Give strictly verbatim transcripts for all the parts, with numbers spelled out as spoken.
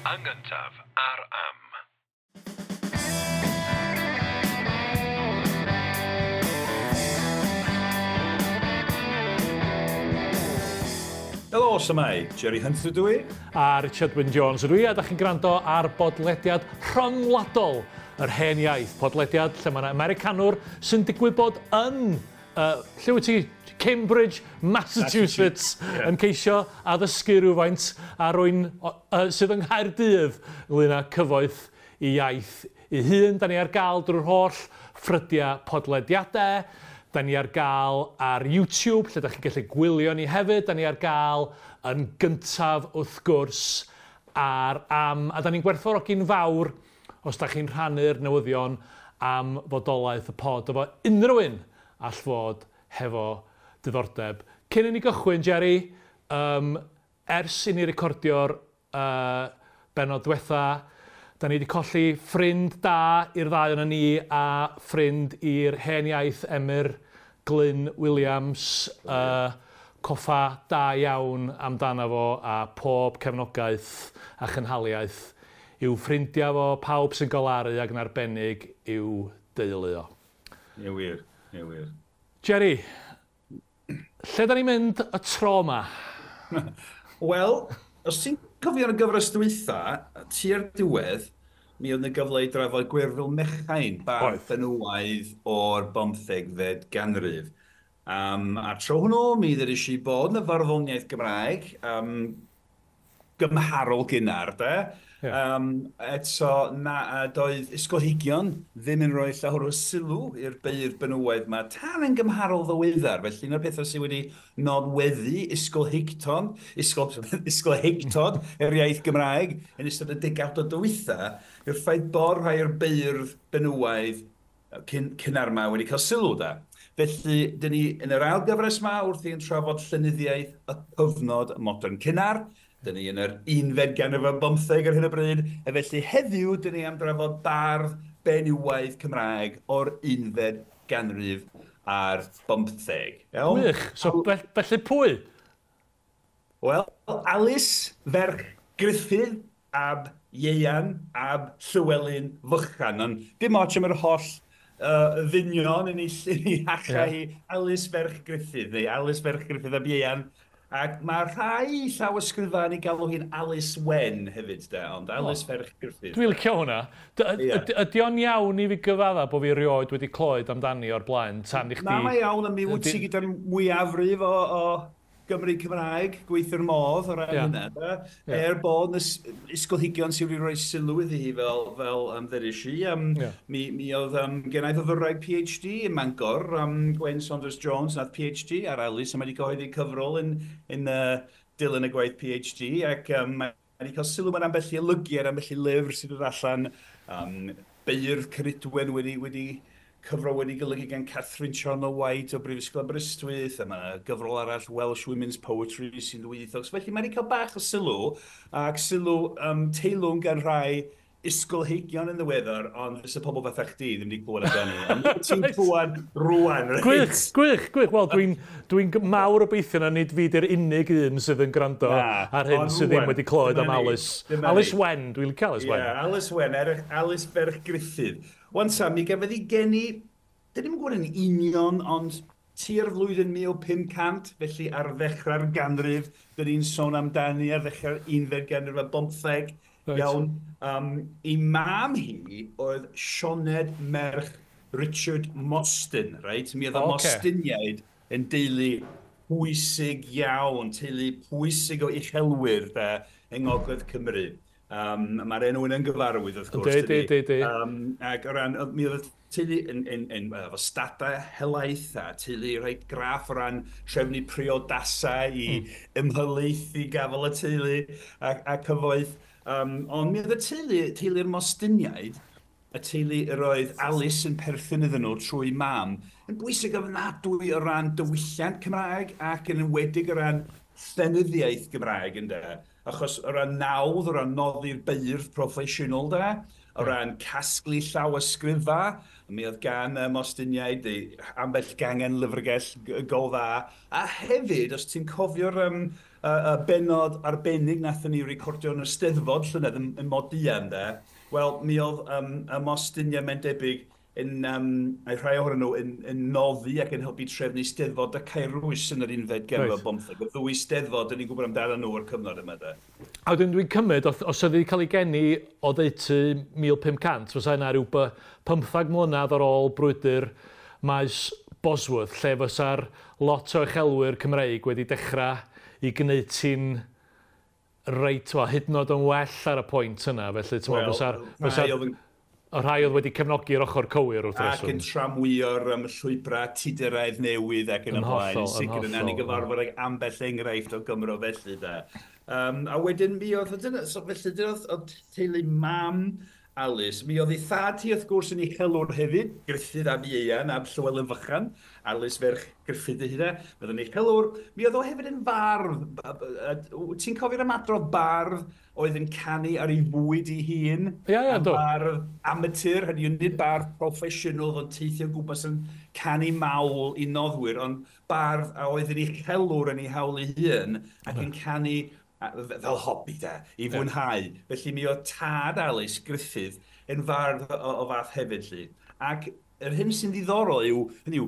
Yn gyntaf ar Am. Helo, shwmae, Jerry Hunter ydw i. A Richard Wyn Jones ydw i, a da chi'n gwrando ar bodlediad rhyngwladol yr Hen Iaith. Podlediad lle mae yna Americanwr sy'n digwydd bod yn, uh, lle wyt ti? Cambridge, Massachusetts, yeah. yn ceisio addysgu rhywfaint a rwy'n uh, sydd yng Nghaerdydd ynglyn â cyfoeth i iaith ei hun. Da ni ar gael drwy'r holl ffrydiau podlediadau. Da ni ar gael ar YouTube, lle da chi'n gallu gwylio ni hefyd. Da ni ar gael yn gyntaf wrth gwrs ar Am. A da ni'n gwerthfawrogi'n fawr os da chi'n rhannu'r newyddion am fodolaeth y pod efo unrhyw un all fod hefo diddordeb. Cyn i ni gychwyn, Jerry, um, ers i ni recordio'r uh, bennod diwetha, da ni wedi colli ffrind da i'r ddau o'n ni a ffrind i'r Hen Iaith Emyr Glyn Williams. Uh, coffa da iawn amdano fo a pob cefnogaeth a chynhaliaeth i'w ffrindiau fo, pawb sy'n golaru ac yn arbennig i'w deulu o. Ie wir, ie wir. Jerry, lle da ni'n mynd y tro yma? Wel, os ti'n cofio yn y gyfres dwytha, tua'r diwedd, mi oedd yna gyfle i drafod Gwerfyl Mechain, bardd benywaidd o'r bymthegfed ganrif. Um, a tro hwnnw, mi ddwedes i bod yn y farddoniaeth Gymraeg, um, gymharol gynnar, de. Yeah. Um, eto, na, doedd ysgolheigion ddim yn rhoi llawer o sylw i'r beirdd benywaidd yma tan yn gymharol ddiweddar. Felly, un o'r pethau sydd wedi nodweddu ysgolheicton, ysgol, ysgolheictod yr iaith Gymraeg yn ystod y degawd o dwytha, yw'r ffaith bod rhai o'r beirdd benywaidd cyn, cynnar yma wedi cael sylw da. Felly, dyn ni yn yr ail gyfres yma wrth i'n trafod llenyddiaeth y cyfnod modern cynnar. Dyn ni yn yr unfed ganrif ar bymtheg ar hyn o bryd, a felly heddiw dyn ni am drafod bardd benywaidd Cymraeg o'r unfed ganrif ar bymtheg. Iawn? Wych, so felly pwy? Wel, Alys ferch Gruffydd ab Ieuan ab Llywelyn Fychan, ond dim ots am yr holl uh, ddynion yn ei, yn ei hacha hi, yeah. Alys ferch Gruffydd, neu Alys ferch Gruffydd ab Ieuan. Ac mae rhai llawysgrifau yn ei galw hi'n Alice Wen hefyd, de, ond Alice oh. ferch Gruffydd. Dwi'n licio hwnna. Ydy o'n iawn i fi gyfadda bod fi erioed wedi clywed amdani o'r blaen tan i chdi... Na, mae iawn, a mi wyt ti gyda'r mwyafrif o, o Gymru Cymraeg, gweithio'r modd o ran yeah. hynna. De. Yeah. Er bod yn ysgolheigion sydd wedi rhoi sylw iddi hi fel, fel um, ddeudais i. Um, yeah. Mi, mi oedd um, gennau fyfyrwraig PhD ym Mangor, um, Gwen Saunders Jones, nath PhD ar Alice, a mae wedi cyhoeddi cyfrol yn, yn uh, dilyn y gwaith PhD, ac um, mae wedi cael sylw mewn ambell i olygiad, ambell i lyfr sydd wedi allan. Um, Beirdd Ceridwen wedi, wedi cyfrol wedi golygu gan Catherine Charnock White o Brifysgol Aberystwyth, a mae yna gyfrol arall, Welsh Women's Poetry, sy'n ddwyieithog. Felly mae wedi cael bach o sylw, ac sylw um, teilwng gan rhai ysgolheigion yn ddiweddar, ond fysa pobl fatha chdi ddim wedi clywed amdani. Ond ti'n clywed rwan, reit? Gwych, gwych, gwych. Wel, dwi'n dwi mawr obeithio na nid fi di'r unig un sydd yn gwrando na, ar hyn sydd ddim wedi clywed am Alice. Alice Wen, dwi'n licio Alice Wen. Yeah, Alice Wen, er, Alice ferch Gruffydd. Wan ta, mi gafodd ei geni, dyn ni'm yn gwybod yn union, ond tua'r flwyddyn mil pum cant, felly ar ddechrau'r ganrif, dyn ni'n sôn amdani ar ddechrau'r unfed ganrif a bymtheg. Right. Iawn. Um, ei mam hi oedd Sioned merch Richard Mostyn, right? Mi oedd y okay. Mostiniaid yn deulu pwysig iawn, teulu pwysig o uchelwyr de, yng Ngogledd Cymru. Um, Mae'r enw yn gyfarwydd, wrth gwrs. Di, di, di, di. Um, ac o ran, mi oedd y teulu yn, yn, yn, efo stadau helaeth a teulu reit graff o ran trefnu priodasau i mm. ymhelaethu gafel y teulu a, a cyfoeth. Um, ond mi oedd y teulu, teulu'r Mostiniaid, y teulu yr oedd Alice yn perthyn iddyn nhw trwy mam, yn bwysig ofnadwy o ran diwylliant Cymraeg ac yn enwedig o ran llenyddiaeth Gymraeg, ynde. Achos o ran nawdd, o ran noddi'r beirdd proffesiynol de, o ran casglu llawysgrifa, mi oedd gan y Mostiniaid ambell gangen lyfrgell go dda, a hefyd, os ti'n cofio'r um, uh, benod arbennig nathon ni recordio yn y Steddfod llynedd yn, yn Modian, de, wel, mi oedd um, y Mostiniau mae'n debyg yn, um, rhai ohonyn nhw yn, yn noddi ac yn helpu trefnu Steddfod y Caerwys yn yr unfed ganrif ar bymtheg. Y ddwy Steddfod, dyn ni'n gwybod amdano nhw o'r cyfnod yma, de. A wedyn dwi'n cymryd, os, os oedd wedi cael ei geni o ddeutu mil pump cant, fysa yna rhyw pymthag mlynedd ar ôl brwydr maes Bosworth, lle fysa'r lot o uchelwyr Cymreig wedi dechrau i gwneud ti'n reit, wel, hyd yn oed yn well ar y pwynt yna, felly ti'n meddwl, fysa'r... Fysa y rhai oedd wedi cefnogi'r ochr cywir wrth reswm. Ac yn tramwyo'r um, llwybrau Tuduraidd newydd ac yn y blaen. Yn sicr yna ni gyfarfod ag ambell enghraifft o Gymro felly da. Um, a wedyn mi oedd, dyna, so felly dyna oedd teulu mam Alice. Mi oedd ei thad hi wrth gwrs yn uchelwr hefyd, Gruffydd ab Ieuan ab Llywelyn Fychan, Alice ferch Gruffydd ei hun, mi oedd yn uchelwr. Mi oedd o hefyd yn fardd. Ti'n cofio'r ymadrodd bardd oedd yn canu ar ei fwyd ei hun? Ia, ia, do. Bardd amatur, hynny yw nid bardd proffesiynol oedd yn teithio gwmpas yn canu mawl i noddwyr, ond bardd a oedd yn uchelwr yn ei hawl ei hun ac yn canu fel hobi de, i fwynhau. Yeah. Felly mi oedd tad Alice Gruffydd yn fardd o, o fath hefyd lly. Ac yr hyn sy'n ddiddorol yw, hynny yw,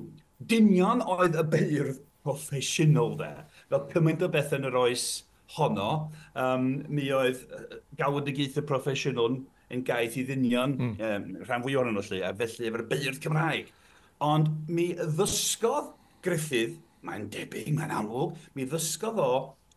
dynion oedd y beirdd proffesiynol de. Fel cymaint o beth yn yr oes honno, um, mi oedd galwedigaethau proffesiynol yn gaeth i ddynion, mm. um, rhan fwy ohonyn nhw lly, a felly efo'r beirdd Cymraeg. Ond mi ddysgodd Gruffydd, mae'n debyg, mae'n amlwg, mi ddysgodd o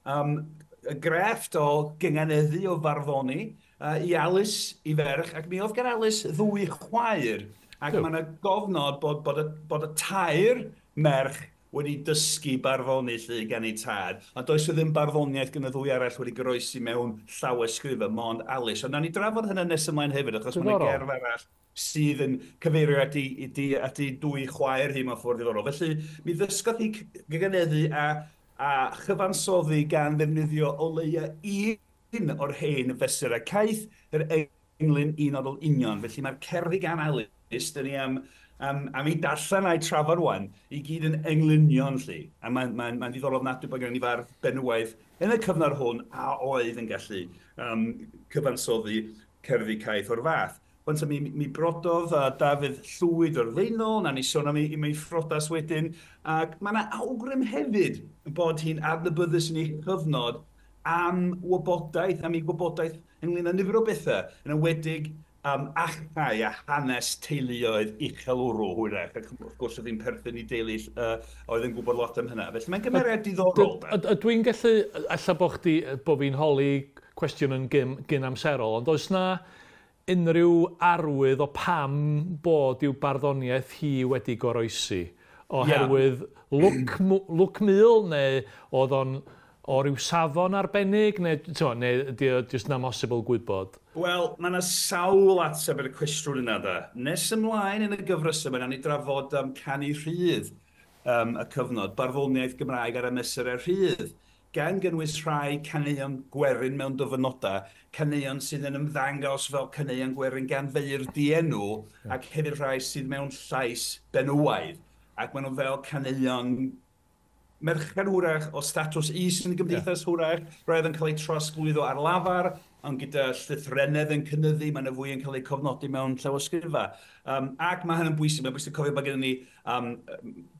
um, y grefft o gynganeddu o farddoni uh, i Alice, i ferch, ac mi oedd gan Alice ddwy chwaer. Ac mae yna gofnod bod, bod, y, bod y tair merch wedi dysgu barddoni lly gan ei tad. Ond does o ddim barddoniaeth gan y ddwy arall wedi goroesi mewn llawysgrifau, mond Alice. Ond nawn ni drafod hynny nes ymlaen hefyd, achos mae yna gerdd arall sydd yn cyfeirio at ei, at ei, at ei dwy chwaer hi mewn ffordd ddiddorol. Felly mi ddysgodd hi gynganeddu a a chyfansoddi gan ddefnyddio o leia un o'r hen fesurau caeth, yr englyn un odl union. Felly mae'r cerddi gan Alice, dyn ni am, am, am ei darllen a'i trafod rwan, i gyd yn englynion lly. A mae'n mae, mae ddiddorol ofnadwy bod gen i fardd benywaidd yn y cyfnod hwn a oedd yn gallu um, cyfansoddi cerddi caeth o'r fath. Wan mi, mi brododd uh, Dafydd Llwyd o'r Faenol, na ni sôn am ei, ei phrodas wedyn, ac mae yna awgrym hefyd bod hi'n adnabyddus yn ei chyfnod am wybodaeth, am ei gwybodaeth ynglyn â nifer o bethau, yn enwedig um, achau a hanes teuluoedd uchelwrw hwyrach, ac wrth gwrs oedd hi'n perthyn i deulu uh, oedd yn gwybod lot am hynna. Felly mae'n gymeriad diddorol. Dwi'n gallu, ella bo chdi, bo fi'n holi cwestiwn yn gyn, gyn amserol, ond oes na unrhyw arwydd o pam bod i'w barddoniaeth hi wedi goroesi? Oherwydd yeah. lwc, lwc mul, neu oedd o'n o ryw safon arbennig, neu, t'mo, neu ydy o jyst yn amhosibl gwybod? Wel, mae yna sawl ateb i'r cwestiwn yna da. Nes ymlaen yn y gyfres yma, nawn ni drafod um, canu rhydd um, y cyfnod, barddoniaeth Gymraeg ar y mesurau rhydd, gan gynnwys rhai caneuon gwerin mewn dyfynodau, caneuon sydd yn ymddangos fel caneuon gwerin gan feirdd dienw, yeah. ac hefyd rhai sydd mewn llais benywaidd, ac maen nhw fel caneuon merched hwrach o statws is yn y gymdeithas yeah. hwrach, roedd yn cael eu trosglwyddo ar lafar, ond gyda llythrennedd yn cynyddu, mae yna fwy yn cael eu cofnodi mewn llawysgrifau. Um, ac mae hynny'n bwysig, mae'n bwysig cofio bod gennym ni um,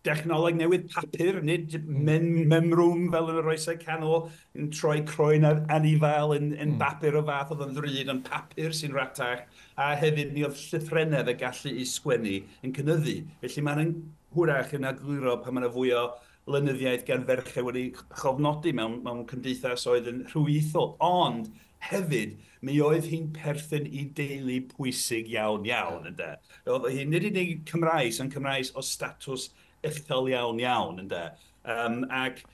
dechnoleg newydd papur, nid mem memrwm fel yn yr oesau canol, yn troi croen ar anifail yn, yn mm. bapur o fath oedd yn ddrud, ond papur sy'n ratach, a hefyd mi oedd llythrennedd y gallu i sgwennu yn cynyddu. Felly mae'n hwrach yn egluro pan mae yna fwy o lenyddiaeth gan ferched wedi chofnodi mewn, mewn cymdeithas oedd yn rhywythol, ond hefyd, mi oedd hi'n perthyn i deulu pwysig iawn iawn, ynde. Oedd hi nid unig Cymraes, ond Cymraes o statws uchel iawn iawn, ynde. Um, ac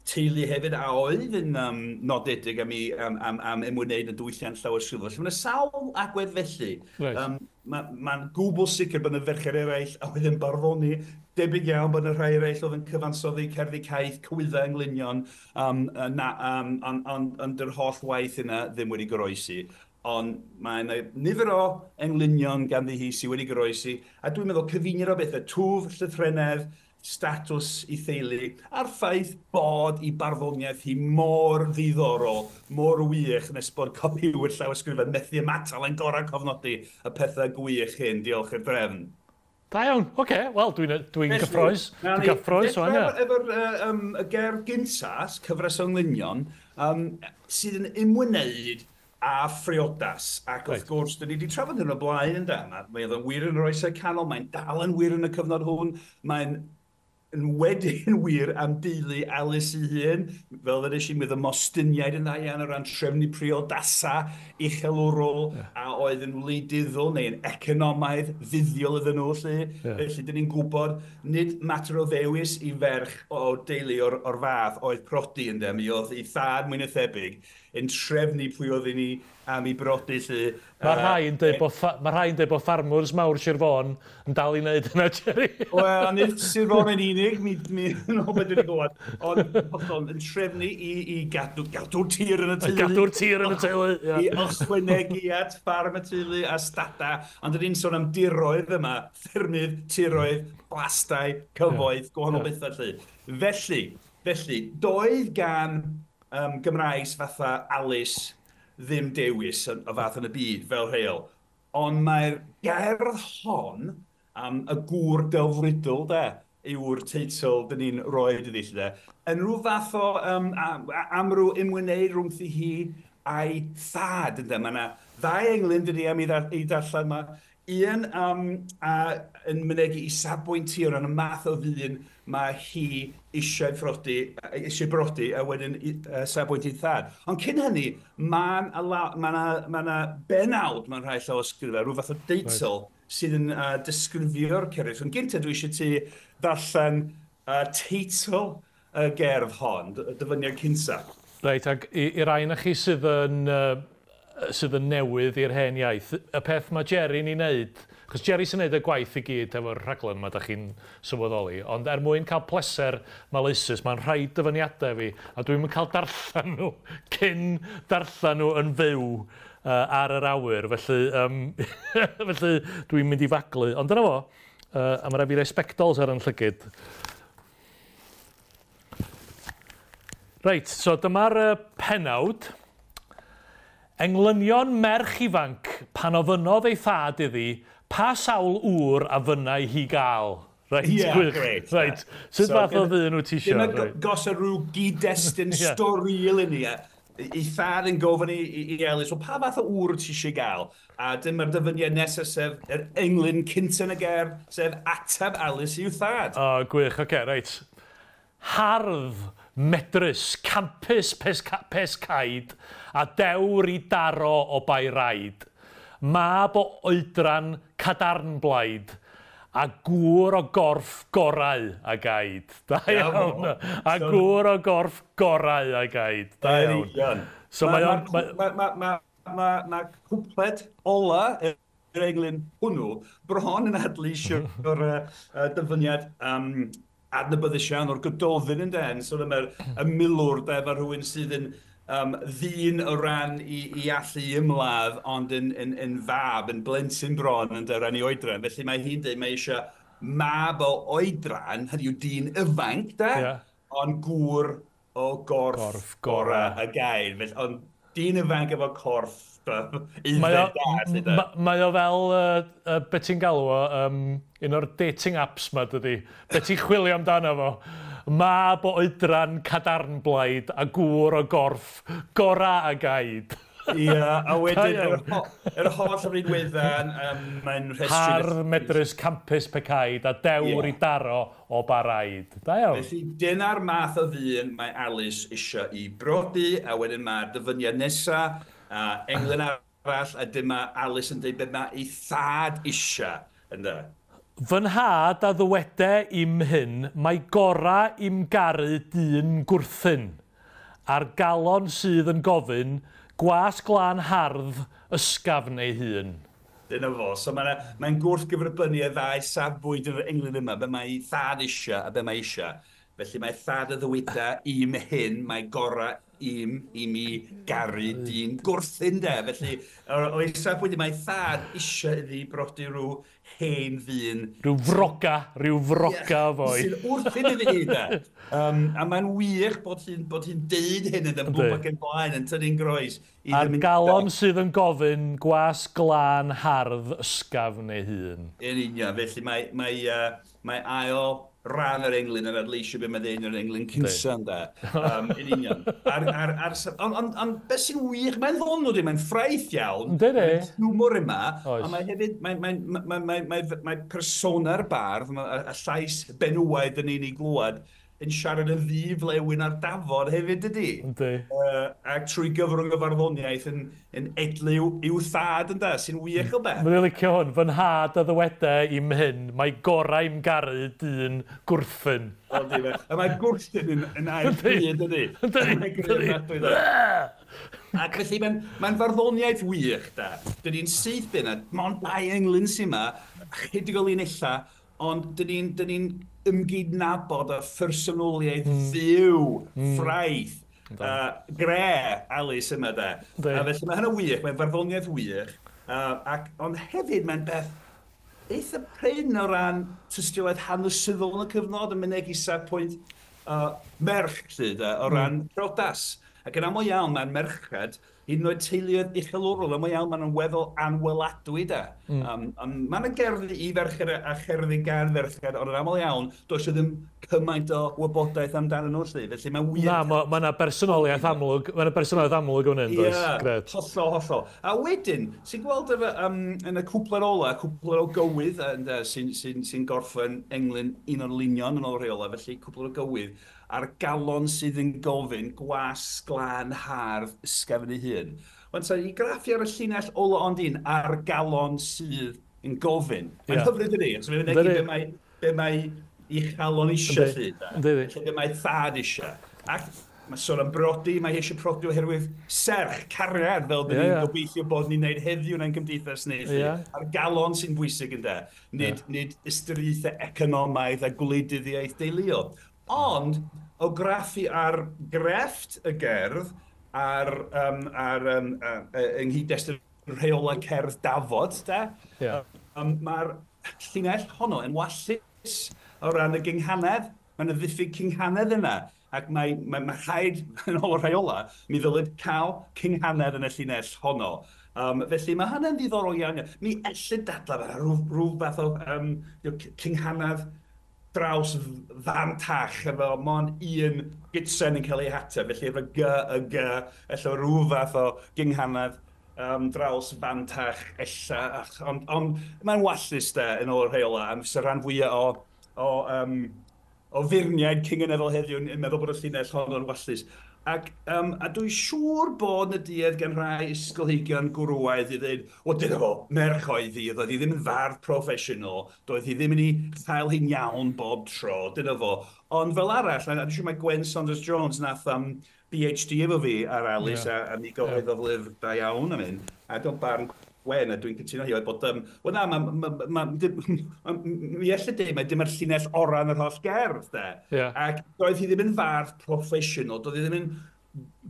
teulu hefyd a oedd yn um, nodedig am, i, am, am, am ymwneud yn diwylliant llawysgrifol. Felly mae yna sawl agwedd felly. Right. Um, Mae'n ma gwbl sicr bod yna ferched eraill a oedd yn barddoni, debyg iawn bod yna rhai eraill oedd yn cyfansoddi cerddi caeth, cywyddau englynion, um, na, um, ond on, on, yr holl waith yna ddim wedi goroesi. Ond mae yna nifer o englynion ganddi hi sydd wedi goroesi, a dwi'n meddwl cyfuniad o bethau, twf, llythrennedd, statws i theulu, a'r ffaith bod i barddoniaeth hi mor ddiddorol, mor wych, nes bod copiwyr llawysgrifau methu ymatal yn gorau cofnodi y pethau gwych hyn, diolch i'r drefn. Da iawn, oce, okay. Wel, dwi'n dwi gyffroes. Dwi'n gyffroes, o'n ia. Efo'r uh, um, y gerdd gynta, cyfres o englynion, um, sydd yn ymwneud a phriodas. Ac wrth right. gwrs, dyn ni wedi trafod hyn o blaen yn da. Mae o'n wir yn yr oesau canol, mae'n dal yn wir yn y cyfnod hwn, mae'n yn wedyn wir am deulu Alice ei hun, fel ddwedes i, mi oedd y Mostyniaid yn dda iawn o ran trefnu priodasa uchelwrol yeah. a oedd yn wleidyddol neu'n economaidd fuddiol iddyn nhw. Lle. Yeah. Felly, dyn ni'n gwybod, nid mater o ddewis i ferch o deulu o'r, o'r fath oedd prodi ynddo, mi oedd ei thad mwy na thebyg yn trefnu pwy oedd i ni am ei brodi. Lle. Mae rhai yn dweud bod, ma rhai yn dweud bod ffarmwrs mawr Sir Fôn yn dal i wneud yna, Jerry. Wel, nid Sir Fôn yn unig, mi, mi yn ôl beth dwi'n gwybod, ond hollol yn trefnu i, i gadw, gadw'r tir yn y teulu. Gadw'r tir yn y teulu, ia. I ychwanegu at ffarm y teulu a stada, ond dyn ni'n sôn am diroedd yma, ffermydd, tiroedd, blastai, cyfoeth, yeah. gwahanol yeah. bethau lle. Felly, felly, doedd gan um, Gymraes fatha Alice ddim dewis o fath yn y byd fel rheol. Ond mae'r gerdd hon am y gŵr delfrydol, de, yw'r teitl dyn ni'n rhoi iddi, de, yn rhyw fath o um, am ryw ymwneud rhwngthi hi a'i thad, ynde. Mae yna ddau englyn dyn ni am ei darllen yma. Un um, a, yn mynegi i safbwynt hi o ran y math o ddyn mae hi eisiau phrodi, eisiau brodi a wedyn uh, safbwynt ei thad. Ond cyn hynny, mae'n ma ma ma benawd mae'n rhai llawysgrifau, rhyw fath o deitl right. sydd yn uh, disgrifio'r cerdd. Ond gyntaf dwi eisiau ti ddarllen uh, teitl y gerdd hon, dyfyniad cynta. Reit, ac i, i rai na chi sydd yn, uh, sydd yn newydd i'r hen iaith, y peth mae Jerry'n ei wneud, chos Jerry sy'n neud y gwaith i gyd efo'r rhaglen yma, da chi'n sylweddoli, ond er mwyn cael pleser maleisus, mae'n rhaid dyfyniadau fi, a dwi'n mynd cael darllen nhw cyn darllen nhw yn fyw uh, ar yr awyr, felly, um, felly dwi'n mynd i faglu. Ond dyna fo, uh, a mae rhaid fi roi sbectols ar yn llygid. Reit, so dyma'r uh, penawd. Englynion merch ifanc pan ofynnodd ei thad iddi, pa sawl ŵr a fynnai hi gael? Reit, yeah, gwych. Great. Reit, sut so, fath o ddyn wyt ti isio? Dyma right. gos o rhyw gyd-destun yeah. storiol i ni. Ei thad yn gofyn i, i, i Alice, well, pa fath o ŵr ti eisiau gael? A dyma'r dyfyniad nesaf, sef yr englyn cynta yn y gerdd, sef ateb Alice i'w thad. O, oh, gwych, oce, okay, reit. Hardd, medrus, campus pescaid, a dewr i daro o bai raid. Mab o oedran cadarnblaid, a gŵr o gorff gorau a gaid. Da iawn. A gŵr o gorff gorau a gaid. Da iawn. So mae o'n... Mae cwpled ola yr englyn hwnnw bron yn adleisio'r dyfyniad um, adnabyddus iawn o'r Gododdin yn den. So dyma'r y milwr de, fel rhywun sydd yn um, ddyn o ran i, i allu ymladd, ond yn, yn, yn fab, yn blentyn bron yn ran i oedran. Felly mae hi'n dweud mae eisiau mab o oedran, hynny yw dyn ifanc, de, yeah. ond gŵr o gorff, gorff gorau y gair. Felly, ond dyn ifanc efo corff Mae o, ma, mae o fel, uh, uh, be ti'n galw o, um, un o'r dating apps ma, dydi? Be ti'n chwilio amdano fo? Mab o oedran cadarnblaid a gŵr o gorff gorau a gaid. Ie, a wedyn yr, ho yr holl rinweddau, um, mae'n rhestru... Hardd, medrus, campus pecaid a dewr yeah. i daro o baraid. Da iawn. Felly, dyna'r math o ddyn mae Alice eisiau i brodi, a wedyn mae'r dyfyniad nesaf, a englyn arall, a dyma Alice yn dweud beth mae ei thad eisiau, ynde. Fy nhad a ddywede im hyn, mae gora im garu dyn gwrthyn, a'r galon sydd yn gofyn, gwas glân hardd ysgafn ei hun. Dyna fo. So mae'n mae gwrthgyferbynnu y ddau safbwynt yn yr englyn yma, be mae ei thad eisiau a be mae eisiau. Felly mae thad y ddyweda im hyn, mae gora im, i mi garu dyn gwrthyn de. Felly, o'i safbwynt mae thad eisiau iddi brodi rhyw hen ddyn. Rhyw froga, rhyw froga yeah, foi. Sy'n wrthyn iddi hi de. Um, a mae'n wych bod hi'n bod hi'n deud hyn yn blwm ac yn blaen yn tynnu'n groes. A'r galon sydd yn gofyn gwas glân hardd ysgafn ei hun. Yn union, felly mae, mae, uh, mae ail ran yr englyn yn adleisio be mae ddeud yr englyn cynsa ynde. Um, yn union. Ar, ar, ar, ond on, on, beth sy'n wych, mae'n ddonw di, mae'n ffraeth iawn. Yndi. Mae'n hiwmor yma. Ond mae hefyd, mae, mae, mae, mae, mae, mae persona'r bardd, mae, a llais benywaidd yn un i glwad, yn siarad yn ddiflewyn ar dafod hefyd, dydy? Yndi. Uh, ac trwy gyfrwng y farddoniaeth yn, yn edliw i'w thad, ynda, sy'n wych o beth. Mae'n licio hwn, fy nhad a ddywede i'm hyn, mae gorau i'm garu dyn gwrthyn. O, di fe. A mae gwrthyn yn, yn air pryd, ydy. Yndi. Ac felly mae'n mae farddoniaeth wych, da. Dyn ni'n syth bin, a mond dau englyn sy'n yma, chydig o linella, ond dyn ni'n dyn ni'n ymgydnabod y phersonoliaeth mm. fyw, mm. ffraeth, uh, gre Alys yma de. A felly mae hynna wych, mae'n farddoniaeth wych, uh, ac, ond hefyd mae'n beth eitha prin o ran tystiolaeth hanesyddol yn y cyfnod yn mynegi safbwynt uh, merch, lly, de, o ran mm. priodas. Ac yn aml iawn mae'n merched, hyd yn oed teuluoedd uchelwrol, aml iawn maen nhw'n weddol anweladwy de. Mm. Um, um, mae yna gerddi i ferched a cherddi gan ferched, ond yn aml iawn, does ddim cymaint o wybodaeth amdanyn nhw, lly. Felly mae'n wir. Na, mae ma yna personoliaeth amlwg, mae yna personoliaeth amlwg o'n hyn, does? Ie, yeah, hollol, hollol. A wedyn, sy'n gweld efo, um, yn y cwpler ola, cwpler o gywydd, uh, sy'n sy sy gorffen englyn un o'r linion yn ôl rheola, felly cwpler o gywydd, a'r galon sydd yn gofyn gwas glân hardd ysgafn ei hun. Wan ta, i graffu ar y llinell ola ond un, a'r galon sydd yn gofyn. Mae'n yeah. hyfryd ydi, so mae'n mynegi be mae, be mae ei chalon eisiau lly. Felly be mae thad eisiau. Ac mae sôn am brodi, mae eisiau prodi oherwydd serch, cariad, fel dyn ni'n yeah, yeah. gobeithio bod ni'n neud heddiw yn ein cymdeithas ni. Yeah. A'r galon sy'n bwysig ynde, nid, yeah. nid ystyriaethau economaidd a gwleidyddiaeth deuluol. Ond, o graffu ar grefft y gerdd, ar, um, ar um, uh, yng nghyd-destun rheolau cerdd dafod, de, yeah. um, mae'r llinell honno yn wallus o ran y gynghanedd. Mae yna ddiffyg cynghanedd yna, ac mae, mae, mae rhaid, yn ôl y rheolau, mi ddylid cael cynghanedd yn y llinell honno. Um, felly mae hynny'n ddiddorol iawn. Mi ellid dadlau fel rhyw, rhyw fath o um, cynghanedd draws fantach efo mond un gytsen yn cael ei hateb, felly efo G, y G, ella rhyw fath o gynghanedd um, draws fantach ella, ond on, mae'n wallus de yn ôl y rheola, am fysa rhan fwyaf o, o, um, o feirniaid cynganeddol heddiw yn meddwl bod y llinell honno'n wallus. Ac, um, a dwi'n siŵr bod na duedd gan rhai ysgolheigion gwrywaidd i ddweud, o dyna fo, merch oedd hi, oedd hi ddim yn fardd proffesiynol, doedd hi ddim yn ei chael hi'n iawn bob tro, dyna fo. Ond fel arall, a dwi'n siŵr mae Gwen Saunders Jones nath um, P H D efo fi ar Alys, yeah. a, a mi gyhoeddodd yeah. lyfr da iawn am hyn, a dwi'n barn Gwen, a dwi'n cytuno hi, oedd bod, um, wel na, ma, ma, ma, ma, mi ella dweud, mae dim yr llinell orau yn yr holl gerdd, de. Yeah. Ac doedd hi ddim yn fardd proffesiynol, doedd hi ddim yn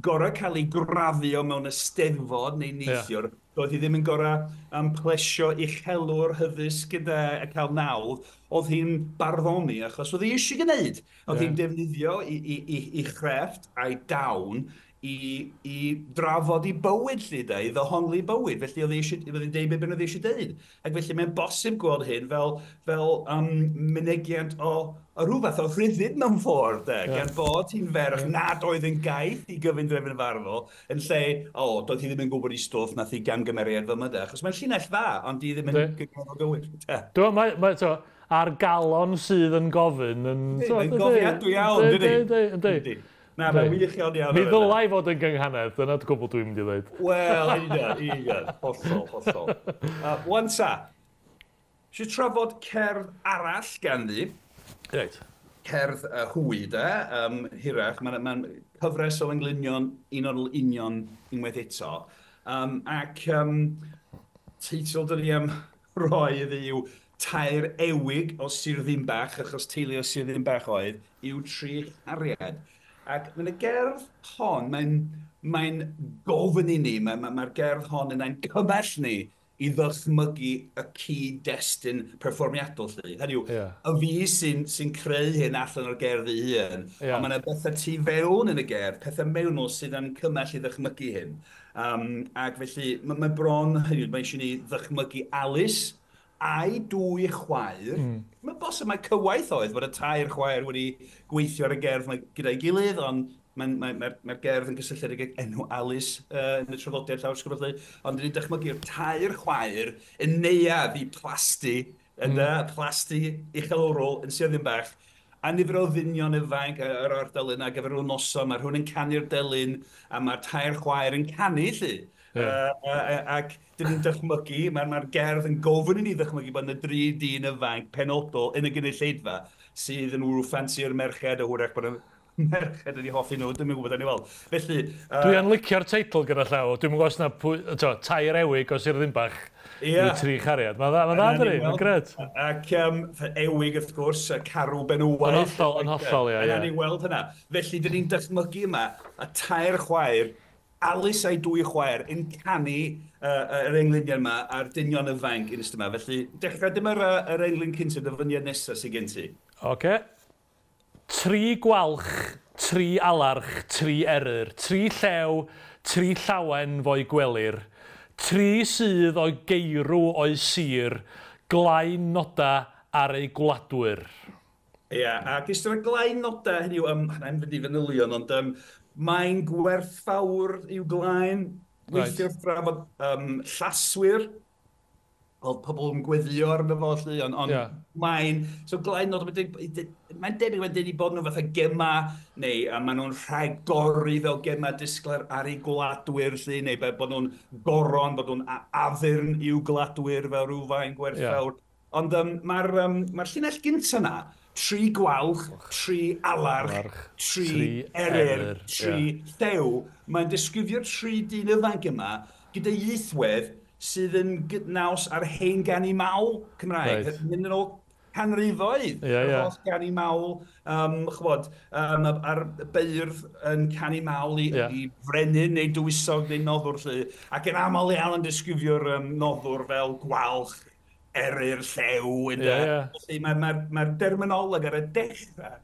gorau cael ei graddio mewn eisteddfod neu neithiwr, yeah. doedd hi ddim yn gorau um, plesio uchelwr hyddysg gyda a cael nawdd, oedd hi'n barddoni achos oedd hi eisiau gwneud. Oedd yeah. hi'n defnyddio i, i, i, i chrefft a'i dawn i, i drafod i bywyd lly de, i ddehongli bywyd, felly oedd eisiau, oedd hi'n deud beth oedd eisiau deud. Ac felly mae'n bosib gweld hyn fel, fel um, mynegiant o, o rhywbeth o rhyddid mewn ffordd, de, yeah. gan bod hi'n ferch yeah. nad oedd yn gaeth i gyfundrefn farddol, yn lle, o, oh, doedd hi ddim yn gwybod i stwff, nath hi gamgymeriad fel yma, de, achos mae'n llinell dda, ond di ddim yn gyngor o gywir. Dwi'n mae, mae, to, a'r galon sydd yn gofyn yn... Mae'n gofiadwy iawn, dydi? Yndi, yndi. Na, mae'n wych iawn iawn. Mi ddylai fod yn gynghanedd, dyna'r gwbl dwi'n mynd i ddweud. Wel, union, union, hollol, hollol. Uh, Wan ta, eisiau trafod cerdd arall ganddi. Reit. Cerdd uh, hwy, de, um, hirach. Mae'n ma cyfres o englynion un o'r union unwaith eto. Um, ac um, teitl dyn ni am roi iddi yw Tair Ewig o Sir Ddinbach, achos teulu o Sir Ddinbach oedd, yw Tri Chariad. Ac mae'n y gerdd hon, mae'n mae'n gofyn i ni, mae'r mae, mae gerdd hon yn ein cymell ni i ddychmygu y cyd-destun perfformiadol, lly. Hynny yw, Ie. y fi sy'n sy creu hyn allan o'r gerdd ei hun, Ie. ond mae yna bethau tu fewn yn y gerdd, pethau mewnol sydd yn cymell i ddychmygu hyn. Um, ac felly, mae, mae bron, hynny yw, mae eisiau ni ddychmygu Alice a'i dwy chwaer. Mm. Mae'n bosib mae cywaith oedd bod y tair chwaer wedi gweithio ar y gerdd 'ma gyda'i gilydd, ond mae'n mae, mae'r mae gerdd yn gysylltiedig ag enw Alice uh, yn y traddodiad llawysgrif felly. Ond dyn ni'n dychmygu'r tair chwaer yn neuadd i plasty, mm. plasty uchelwrol yn Sir Ddinbych, a nifer o ddynion ifanc yr ardal yna gyfer rhyw noson, mae rhywun yn canu'r delyn, a mae'r tair chwaer yn canu, lly. Ie. Uh, uh, ac dyn ni'n dychmygu, mae'r mae gerdd yn gofyn i ni ddychmygu bod yna dri dyn ifanc penodol yn y gynulleidfa sydd yn wrw ffansi'r merched, a hwyrach bod y merched yn eu hoffi nhw, dwi'n gwybod yn ei weld. Felly, uh, Dwi yn licio'r teitl gyda llaw. Dwi'n gwybod os na pwy, to, tair ewig o Sir Ddinbach Ie. yw tri chariad. Mae'n dda, mae'n dda, dydi? Mae'n gret. Ac um, ewig, wrth gwrs, y carw benywaidd. Yn hollol, yn hollol, ie, Yna ie. ni weld hynna. Felly, dyn ni'n dychmygu yma y tair chwaer, Alice a'i dwy chwaer, yn canu uh, yr englynion yma a'r dynion ifanc yn ystod yma. Felly, dechrau dyma'r uh, yr englyn cyntaf, dyfyniad nesaf sydd gen ti. Oce. Tri gwalch, tri alarch, tri eryr, tri llew, tri llawen fo'i gwelir, tri sydd o'i geirw o'i sir, glain noda ar ei gwladwyr. Ie, yeah, ac ystyr y glain noda, hynny yw, um, na i'm fynd i fanylion, ond um, mae'n gwerthfawr i'w glain. Right. Weithiau wrth drafod um, llaswyr, oedd pobl yn gweddio arno fo, lly, ond on, Ie. mae'n, so glain nod, mae'n debyg, mae'n debyg bod nhw fatha gema, neu a maen nhw'n rhagori fel gema disglair ar eu gwladwyr, lly, neu bod nhw'n goron, bod nhw'n a- addurn i'w gwladwyr fel rhyw fain gwerthfawr. Ond um, mae'r um, mae llinell gyntaf na, tri gwalch, tri alarch, Alarch, tri, tri eryr, eryr, tri llew. Mae'n disgrifio'r tri dyn ifanc yma gyda ieithwedd sydd yn gydnaws ar hen ganu mawl Cymraeg. Reit. Mynd yn ôl canrifoedd. Ie, Yr ie. holl ganu mawl, um, ch'mod, um, a'r beirdd yn canu mawl i, Ie. i frenin neu dywysog neu noddwr lly. Ac yn aml iawn yn disgrifio'r um, noddwr fel gwalch, eryr, llew. ynde? Ie, ie. Felly mae'r mae, mae derminoleg ar y dechrau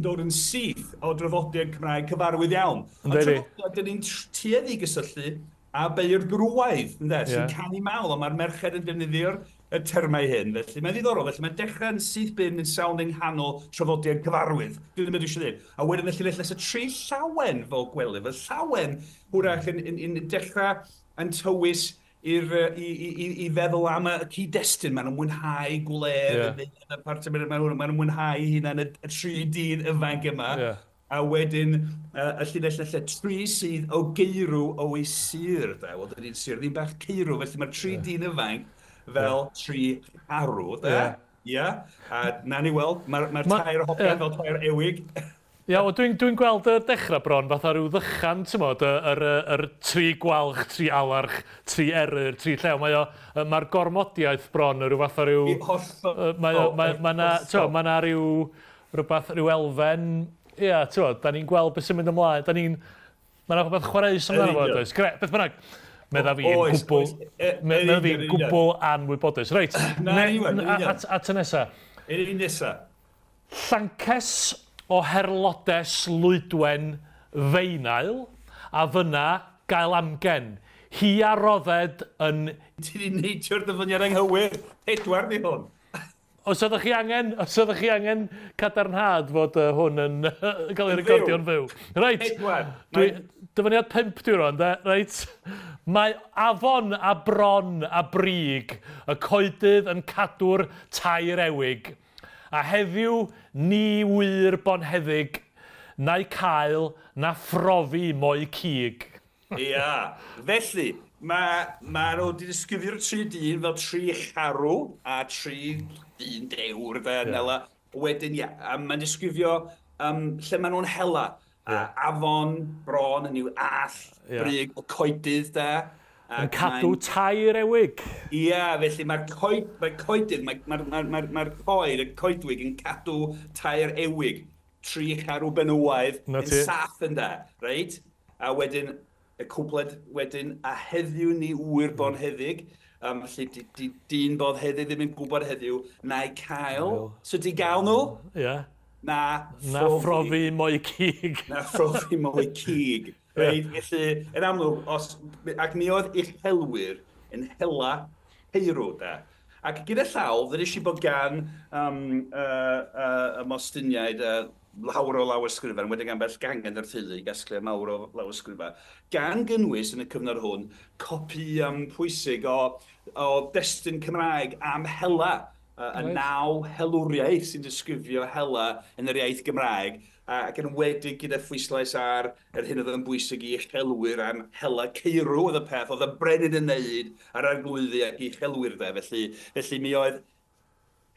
dod yn syth o draddodiad Cymraeg cyfarwydd iawn. Ond Yndi. traddodiad, dyn ni'n tueddu i gysylltu a beirdd gwrywaidd, ynde, sy'n Ie. canu mawl, ond mae'r merched yn defnyddio'r y termau hyn. Felly mae'n ddiddorol, felly mae'n dechrau yn syth bin yn sawl yng nghanol traddodiad cyfarwydd. Dwi ddim yn eisiau dweud. A wedyn y llinell nesaf tri llawen fel gwely, fel llawen hwrach yn, yn, yn dechrau yn tywys i'r, yy, i, i, i, i feddwl am y cyd-destun. Maen nhw'n mwynhau gwledd, Ie. yeah. y part maen nhw'n maen nhw'n mwynhau hunan y, y tri dyn ifanc yma. Ie. A wedyn, uh, y llinell nesaf, tri sydd o geirw o'u sir. De. Wel, dydy'n sir ddim bach ceirw, felly mae'r tri dyn ifanc fel tri arw, de. Ie. Ie. A na ni weld, mae'r mae Ma- tair hogan ie. fel tair ewig. Ia, wel, dwi'n dwi gweld y dechrau bron fatha rhyw ddychan, ti'n modd, y, yr, yr, yr tri gwalch, tri alarch, tri eryr, tri llew. Mae o, yy, mae'r gormodiaeth bron yn rhyw fath o ryw... I hollol. Yy, Mae o, mae, mae na, t'mo, mae na ryw, rhywbeth, rhyw elfen, ia, ti'n modd, da ni'n gweld beth sy'n mynd ymlaen, da ni'n, mae na rhywbeth chwareus amdano fo, Yn union. does? Gre, beth bynnag, medda fi yn Oes, gwbl, oes. E- yn medda fi'n union, yn union. gwbl anwybodus. Reit, Na, ne- yn union, yn a- union. at, at y nesa. Yr un nesa. Llances o herlodes lwydwen feinael, a fyna gael amgen. Hi a rodded yn... Ti di neidio'r dyfyniad anghywir. Pedwar di hwn. Os ydych chi angen, os ydych chi angen cadarnhad fod uh, hwn yn cael ei Yn recordio'n fyw. Reit. Pedwar. Dwi, dyfyniad pump dwi'n rwan, de? Reit. Mae afon a bron a brig, y coedydd yn cadw'r tair ewig. A heddiw ni wir bonheddig, na'i cael na phrofi mo'i cig. Ia. Felly, mae ma nhw wedi disgrifio'r tri dyn fel tri charw a tri dyn dewr, de, yeah. Nela. Wedyn, ia, a mae'n disgrifio um, lle maen nhw'n hela. A afon, bron, yn yw all, Ie. brig, y coedydd, de. Yn Ac cadw mae'n- tair ewig. Ia, felly mae'r coed, mae coedydd, mae'r mae, mae, mae, mae coed, y coedwig yn cadw tair ewig. tri charw benywaidd yn saff ynde, reit? A wedyn, y cwpled wedyn, a heddiw ni ŵyr bonheddig, um, felly di, di, dyn bonheddig ddim yn gwybod heddiw, na'i cael. So di gael nhw? Ie. Yeah. Na na phrofi mo'i cig. Na phrofi mo'i cig. Reit, felly, yn amlwg, os, ac mi oedd uchelwyr yn hela ceirw, da. Ac gyda llaw, ddweud i bod gan um, uh, uh, y Mostiniaid uh, lawer o lawysgrifau, wedi gan bell gangen yr teulu i gasglu mawr o lawysgrifau, gan gynnwys yn y cyfnod hwn copi um, pwysig o, o destun Cymraeg am hela, uh, y right. naw helwriaeth sy'n disgrifio hela yn yr iaith Gymraeg, ac yn enwedig gyda phwyslais ar yr hyn oedd yn bwysig i uchelwyr am hela ceirw oedd y peth, oedd y brenin yn neud ar arglwyddi ac uchelwyr de. Felly, felly mi oedd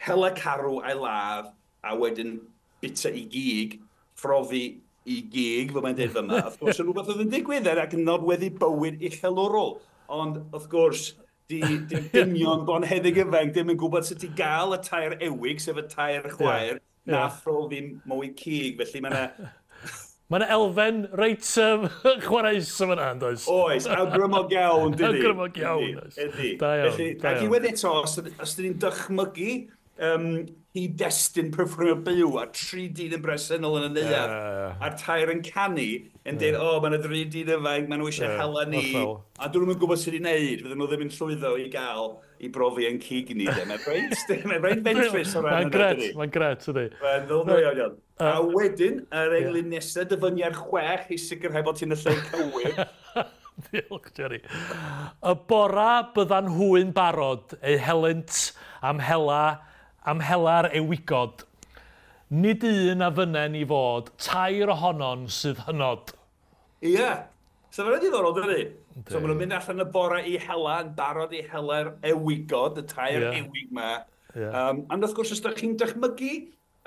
hela carw a'i ladd a wedyn bita i gig, phrofi i gig, fel mae'n dweud yma. Wrth gwrs, yn rhywbeth oedd yn digwydd er ac yn nodweddu bywyd uchelwrol. Ond, wrth gwrs, di, di dynion bonheddig ifanc ddim yn gwybod sut i gael y tair ewig, sef y tair chwaer, yeah. na yeah. phrofi mwy cig, felly mae yna... Mae yna elfen reit um, chwaraeus yma yna, does? Oes, awgrymog iawn, dydi? Awgrymog iawn, oes. Ydy. Da iawn, felly, da iawn. Ac i wedi eto, os, os dyn ni'n dychmygu um, hyd-destun perfformio byw a tri dyn yn bresennol yn y neuadd, yeah, yeah, yeah. a'r tair yn canu, yn dweud, yeah. o, mae yna dri dyn ifanc, maen nhw eisiau yeah, hela ni, a dyn nhw'n gwybod sut i wneud, fydden nhw ddim yn llwyddo i gael i brofi yn cig ni. Mae'n reit, mae'n reit fentrus o ran. Mae'n gret, mae'n gret, ydy. Mae'n ddylnol iawn iawn. A wedyn, yr englyn nesaf, dyfyniad chwech i sicrhau bod ti'n y lle cywir. Diolch, Jerry. Y bora byddan nhw'n barod eu helynt am hela, am hela'r ewigod. Nid un a fynnen i fod, tair ohonon sydd hynod. Ie. Yeah. So mae'n diddorol, dydy? So maen nhw'n mynd allan y bore i hela, yn barod i hela'r ewigod, y tair yeah. ewig yma. Yeah. Um, ond wrth gwrs, os ydych chi'n dychmygu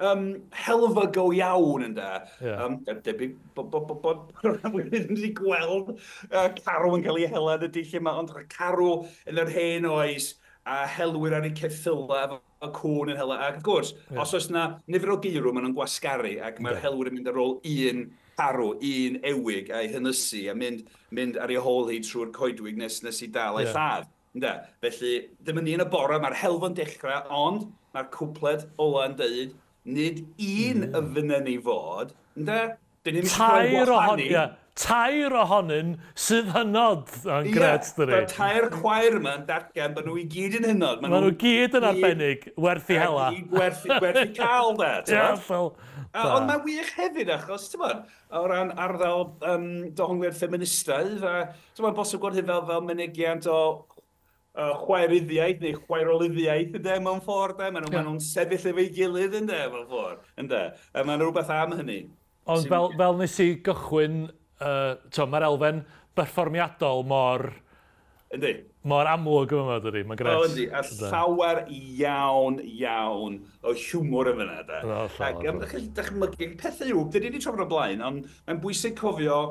um, helfa go iawn ynde, yeah. um, debyg bod bo, bo, bo, bo, ddim wedi gweld uh, carw yn cael ei hela yn y dull yma, ond carw yn yr hen oes a helwyr ar eu ceffylau efo cŵn yn hela. Ac wrth gwrs, yeah. os oes yna nifer o geirw, maen nhw'n gwasgaru ac mae'r yeah. helwyr yn mynd ar ôl un carw, un ewig a'i hynysu a mynd, mynd ar ei hôl hi trwy'r coedwig nes, nes i dal ei yeah. lladd. Ynde? Felly, ddim yn un y bore, mae'r helfa'n dechrau, ond mae'r cwpled ola yn dweud, nid un mm. y fynnen i fod, ynde? Dyn ni'n tair ohon, yeah, tair ohonyn sydd hynod yn yeah, gret, dyni. Mae'r tair chwaer yma yn datgan bod nhw i gyd yn hynod. Maen nhw, nhw gyd yn arbennig, werth i hela. Gwerth, werth i cael, de. Ie, hollol. Ond mae'n wych hefyd, achos, ti'n bod, o ran arddel um, dohongliad ffeministaidd, a ti'n bod, bosib gweld hyn fel, fel mynegiant o uh, chwaeryddiaeth neu chwaerolyddiaeth, ynde, mewn ffordd, de. Maen nhw'n yeah. ma sefyll efo'i gilydd, ynde, mewn ffordd, ynde. A mae'n rhywbeth am hynny. Ond fel, fel nes i gychwyn, uh, to, mae'r elfen berfformiadol mor... Yndi. Mor amlwg yma, dydy, mae'n gret. O, yndi, a llawer iawn, iawn o hiwmor yn fyna, da. No, Ac um, dychmygu, pethau yw, dyn ni wedi trafod o blaen, ond mae'n bwysig cofio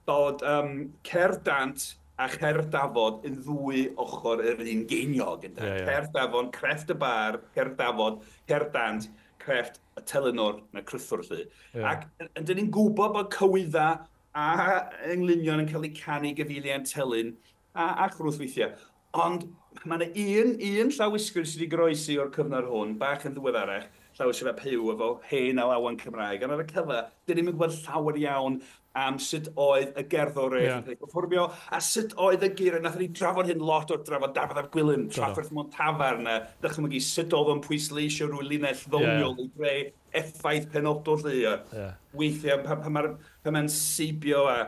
bod um, cerdd dant a cherdd dafod yn ddwy ochr yr un geiniog. Ynde? Yeah, yeah. Cerdd dafod, crefft y bar, cerdd dafod, cerdd dant, crefft y telynor na crythwr, lly. Yeah. Ac dyn ni'n gwybod bod cywydda a englynion yn cael eu canu gyfeiliant telyn, a, a chrwth weithiau. Ond mae yna un, un llawysgrif sydd wedi goroesi o'r cyfnod hwn, bach yn ddiweddarach, llawysgrif ap Huw efo hen alawon Cymraeg. Ond ar y cyfa, dyn ni'n gwybod llawer iawn am sut oedd y gerddoriaeth yeah. yn cael ei perfformio, a sut oedd y geiriau. Nathon ni drafod hyn lot o'r drafod Dafydd ap Gwilym, Trafferth mewn tafarn, a dychmygu sut oedd o'n pwysleisio rhyw linell ddoniol yeah. i greu effaith penodol lly. Yeah. Weithiau, pan, pan mae'n pan mae'n seibio a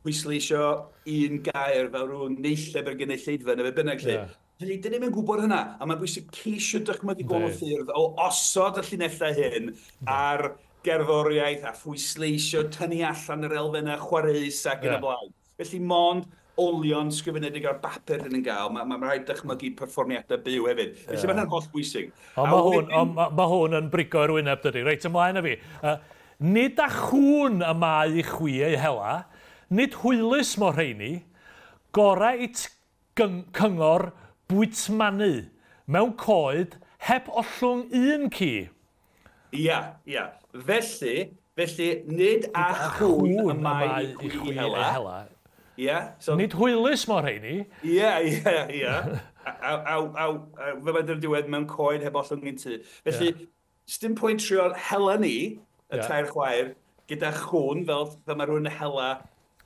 pwysleisio un gair fel rhyw neilleb ar gynulleidfa neu be bynnag lle. Yeah. Felly, dyn ni'm yn gwybod hynna, a mae'n bwysig ceisio dychmygu gwahanol ffyrdd o osod y llinellau hyn ar gerddoriaeth a phwysleisio, tynnu allan yr elfennau chwareus ac yn Yeah. y blaen. Felly, mond olion sgrifenedig ar bapur dyn ni'n gael, mae ma, ma rhaid dychmygu perfformiadau byw hefyd. Felly, Yeah. mae hynna'n holl bwysig. Ond A mae hwn, wedyn- on, ma, ma hwn yn brigo i'r wyneb, dydy. Reit, ymlaen â fi. Uh, nid â chŵn y mae i chwi ei hela, nid hwylus mo rheini, gorau it cyngor bwytmanu mewn coed heb ollwng un ci. Ia, ia. Felly, Felly, nid a chwn y mae i chwi hela. hela. Yeah, so, nid hwylus mor rheini. Ie, ie, ie. A, a, a, a, a fe mae'n diwedd mewn coed heb ollwng un tŷ. Felly, yeah. Sdim pwynt trio hela ni, y yeah. tair chwaer, gyda chwn, fel, fel mae rhywun yn hela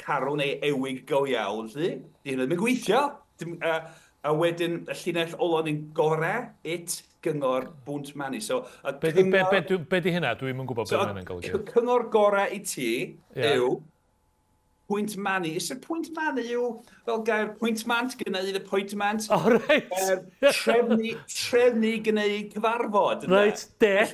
carw neu ewig go iawn, lly. Di hynny ddim yn gweithio. Dim, a, a wedyn, y llinell ola ni'n gore, it, gyngor, bwnt manu. So, a be, cyngor, be, be, be di hynna? Dwi'm yn gwybod so, beth mae'n golygu. Cyngor gore i ti yeah. yw pwynt manu. Is y pwynt manu yw fel gair pwyntmant, gwneud appointment. Oh, reit. Gair trefnu, trefnu gwneud cyfarfod. Reit, det.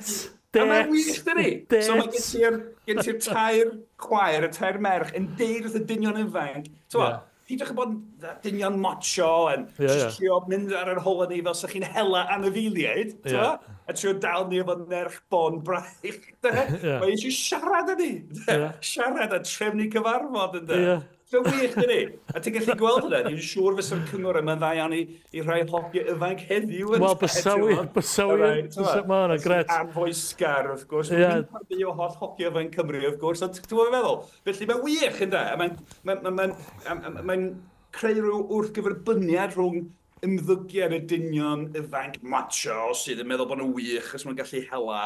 Det. A mae'n wych, dydi? So mae gen ti'r, gen ti'r tair chwaer, y tair merch, yn deud wrth y dynion ifanc. So, yeah. Peidiwch â bod yn dynion macho yn yeah, yeah. trio mynd ar yr hola ni fel sa chi'n hela anifeiliaid, yeah. A trio dal ni efo nerch bon braich. Yeah. Mae eisiau siarad â ni. Yeah. Siarad a trefnu cyfarfod ynddo. Yeah. So wych, dydi? A ti'n gallu gweld hynna, dwi'n siŵr fysa'r cyngor yma'n dda iawn i, i rhai hogia ifanc heddiw. Wel, bysa wir, bysa wir. Mae hwnna gret. Anfoesgar, wrth gwrs. Yeah. Mae'n o holl hogia ifanc Cymru, wrth gwrs. Ond ti'n gwybod feddwl? Felly mae'n wych, ynde? Mae'n mae'n mae'n mae'n creu rhyw wrthgyferbyniad rhwng ymddygiad y dynion ifanc macho sydd yn meddwl bod nhw'n wych os maen gallu hela,